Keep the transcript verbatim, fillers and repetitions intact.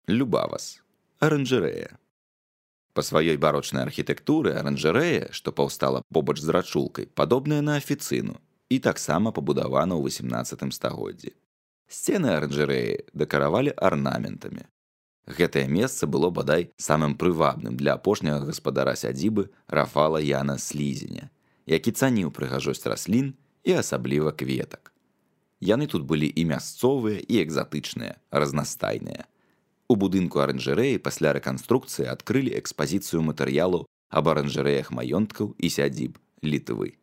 Любавас. Аранжарэя. Па сваёй барочнай архітэктуры аранжарэя, што паўстала побач з рачулкай, падобная на афіцыну і таксама пабудавана ў васемнаццатым стагоддзі. Сцены аранжарэі дэкаравалі арнаментамі. Гэтае месца было бадай самым прывабным для апошняга гаспадара сядзібы Рафала Яна Слізеня, які цаніў прыгажосць раслін і асабліва кветак. Яны тут былі і мясцовыя, і экзатычныя, разнастайныя. У будынку аранжарэі пасля рэканструкцыі адкрылі экспазіцыю матэрыялаў аб аранжарэях маёнткаў і сядзіб Літвы.